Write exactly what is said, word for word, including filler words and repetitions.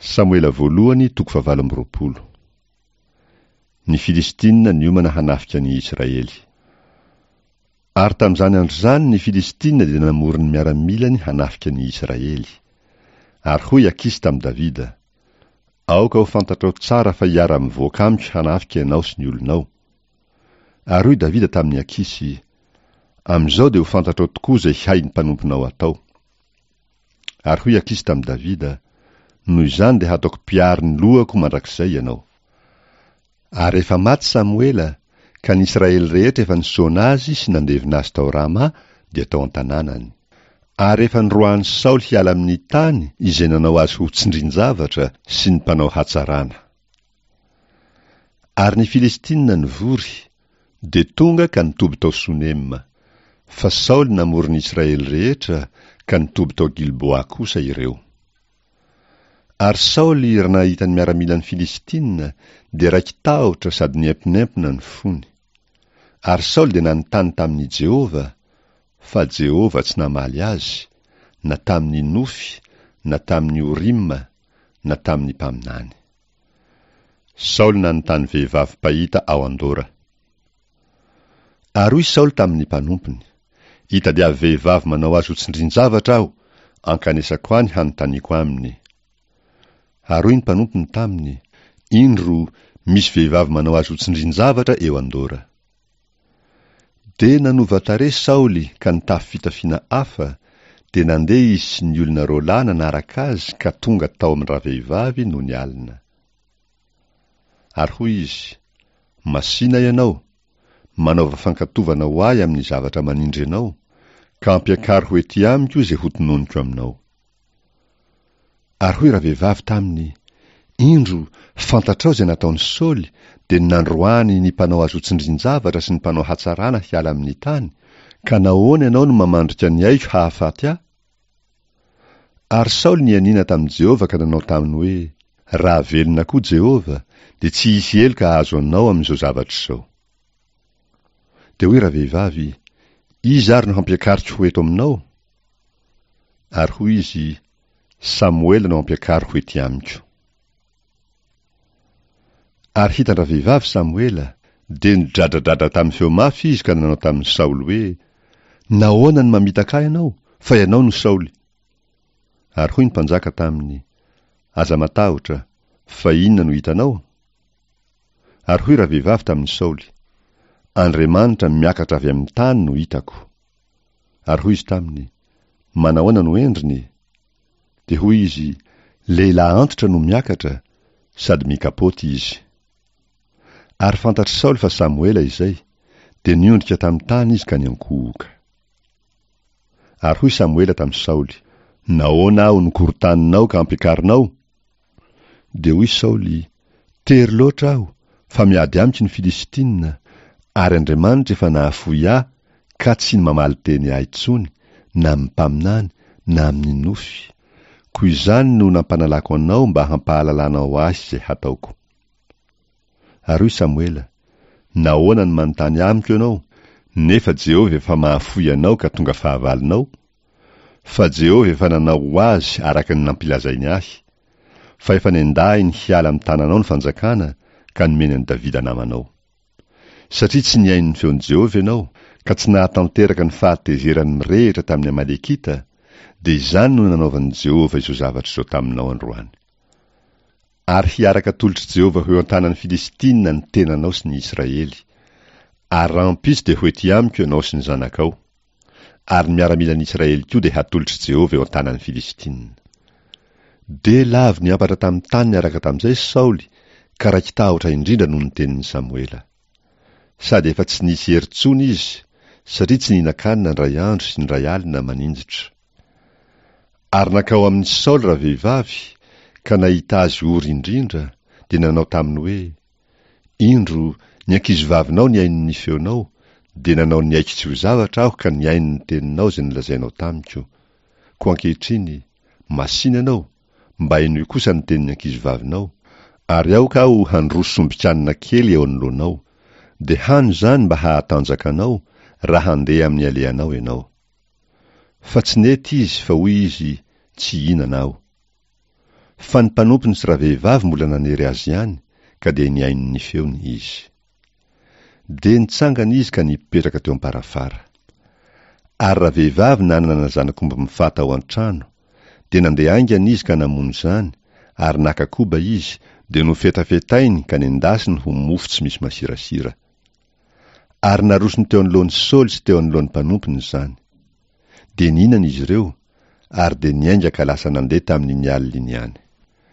Samoela voalohany toko fahavalo amby roapolo. Ny Filistina niomana hanafika ny Israely. Ary tamin'izany andro izany ny Filistina dia namory ny miaramilany hanafika ny Israely. Ary hoy Akisy tamin'i Davida: Aoka ho fantatrao tsara fa hiara-mivoaka amiko hanafika ianao sy ny olonao. Ary hoy Davida tamin'i Akisy: Amin'izao dia ho fantatrao tokoa izay hain'ny mpanomponao atao. Ary hoy Akisy tamin'i Davida: Noho izany dia hataoko mpiaro ny lohako mandrakizay ianao. Ary efa maty Samoela, ka ny Israely rehetra efa nisaona azy sy nandevina azy tao Rama, dia tao an-tanànany. Ary efa noroahan'i Saoly hiala amin'ny tany izay nanao azy ho tsindrin-javatra sy ny mpanao hatsarana. Ary ny Filistina nivory, dia tonga ka nitoby tao Sonema. Fa Saoly namory ny Israely rehetra, ka nitoby tao Gilboa kosa ireo. Ary Saoly raha nahita ny miaramilan'ny Filistina, dia raiki-tahotra sady niemponempona ny fony. Ary Saoly dia nanontany tamin'i Jehovah, fa Jehovah tsy namaly azy, na tamin'ny nofy, na tamin'ny Orima, na tamin'ny mpaminany. Saoly nanontany vehivavy mpahita ao Andora. Ary hoy Saoly tamin'ny mpanompony: Itadiavy vehivavy manao azy ho tsindrin-javatra aho, ankanesako any hanontaniako aminy. Ary hoy ny mpanompony taminy: Indro, misy vehivavy manao azy ho tsindrin-javatra eo Andora. Dia nanova tarehy Saoly ka nitafy fitafiana hafa, dia nandeha izy sy ny olona roa lahy nanaraka azy ka tonga tao amin-dravehivavy nony alina. Ary hoy izy: Masìna ianao, manaova fankatovana ho ahy amin'ny zavatra manindry anao, ka ampiakaro ho ety amiko izay hotononiko aminao. Ary hoy ravehivavy taminy: Indro, fantatrao izay nataon'i Saoly, dia ny nandroahany ny mpanao azy ho tsindrin-javatra sy ny mpanao hatsarana hiala amin'ny tany, ka nahoana ianao no mamandrika ny aiko hahafaty ahy? Ary Saoly nianiana tamin'i Jehovah ka nanao taminy hoe: Raha velona koa Jehovah, dia tsy hisy heloka hahazo anao amin'izao zavatra izao. Dia hoy ravehivavy: Iza ary no hampiakariko ho eto aminao? Ary hoy izy: Samoela no hampiakaro ho ety amiko. Ary hitan-dravehivavy Samoela, dia nidradradradra tamin'ny feo mafy izy ka nanao tamin'i Saoly hoe: Nahoana no mamitaka ahy ianao, fa ianao no Saoly? Ary hoy ny mpanjaka taminy: Aza matahotra, fa inona no hitanao? Ary hoy ravehivavy tamin'i Saoly: Andriamanitra miakatra avy amin'ny tany no hitako. Ary hoy izy taminy: Manahoana no endriny? Dia hoy izy: Lehilahy antitra no miakatra, sady mikapoty izy. Ary fantatr'i Saoly fa Samoela izay, dia niondrika tamin'ny tany izy ka niankohoka. Ary hoy Samoela tamin'i Saoly: Nahoana aho no korontaninao ka ampiakarinao? Dia hoy Saoly: Tery loatra aho, fa miady amiko ny Filistina, ary Andriamanitra efa nahafoy ahy ka tsy mamaly teny ahy intsony, na amin'ny mpaminany, na amin'ny nofy. Koa izany no nampanalako anao mba hampahalalanao ahy izay hataoko. Ary hoy Samoela: Nahoana no manontany amiko ianao, nefa Jehovah efa mahafoy anao ka tonga fahavalonao? Fa Jehovah efa nanao ho azy araka ny nampilazainy ahy, fa efa nendahiny hiala amin'ny tananao ny fanjakana ka nomeny an'i Davida namanao. Satria tsy nihaino ny feon'i Jehovah ianao, ka tsy nahatanteraka ny fahatezerany mirehitra tamin'ny Amalekita, dia izany no nanaovan'i Jehovah izao zavatra izao taminao androany. Ary hiaraka atolotr'i Jehovah ho eo an-tanan'ny Filistina ny tenanao sy ny Israely. Ary rahampitso dia ho ety amiko ianao sy ny zanakao. Ary ny miaramilan'ny Israely koa dia hatolotr'i Jehovah eo an-tanan'ny Filistina. Dia lavo niampatra tamin'ny tany niaraka tamin'izay Saoly, ka raiki-tahotra indrindra noho ny tenin'i Samoela. Sady efa tsy nisy hery intsony izy, satria tsy nihinan-kanina indray andro sy indray alina maninjitra. Ary nankao amin'i Saoly ravehivavy, ka nahita azy ory indrindra, dia nanao taminy hoe: Indro, ny ankizivavinao nihaino ny feonao, dia nanao ny aiko tsy ho zavatra aho ka nihaino ny teninao izay nolazainao tamiko. Koa ankehitriny, masìna ianao, mba henoy kosa ny tenin'ny ankizivavinao, ary aoka aho handroso sombin-kanina kely eo anoloanao, dia hano izany mba hahatanjaka anao, raha handeha amin'ny alehanao ianao. Fa tsy nety izy, fa hoy izy: Tsy hihinana aho. Fa ny mpanompony sy ravehivavy mbola nanery azy ihany, ka dia nihaino ny feony izy. Dia nitsangana izy ka nipetraka teo am-parafara. Ary ravehivavy nanana zanak'omby mifata ao an-trano, dia nandeha haingana izy ka namono izany, ary naka koba izy, dia nofetafetainy ka nendasiny ho mofo tsy misy masirasira. Ary narosony teo anoloan'i Saoly sy teo anoloan'ny mpanompony izany. Dia nihinana izy ireo, ary dia niainga ka lasa nandeha tamin'iny alina iny ihany.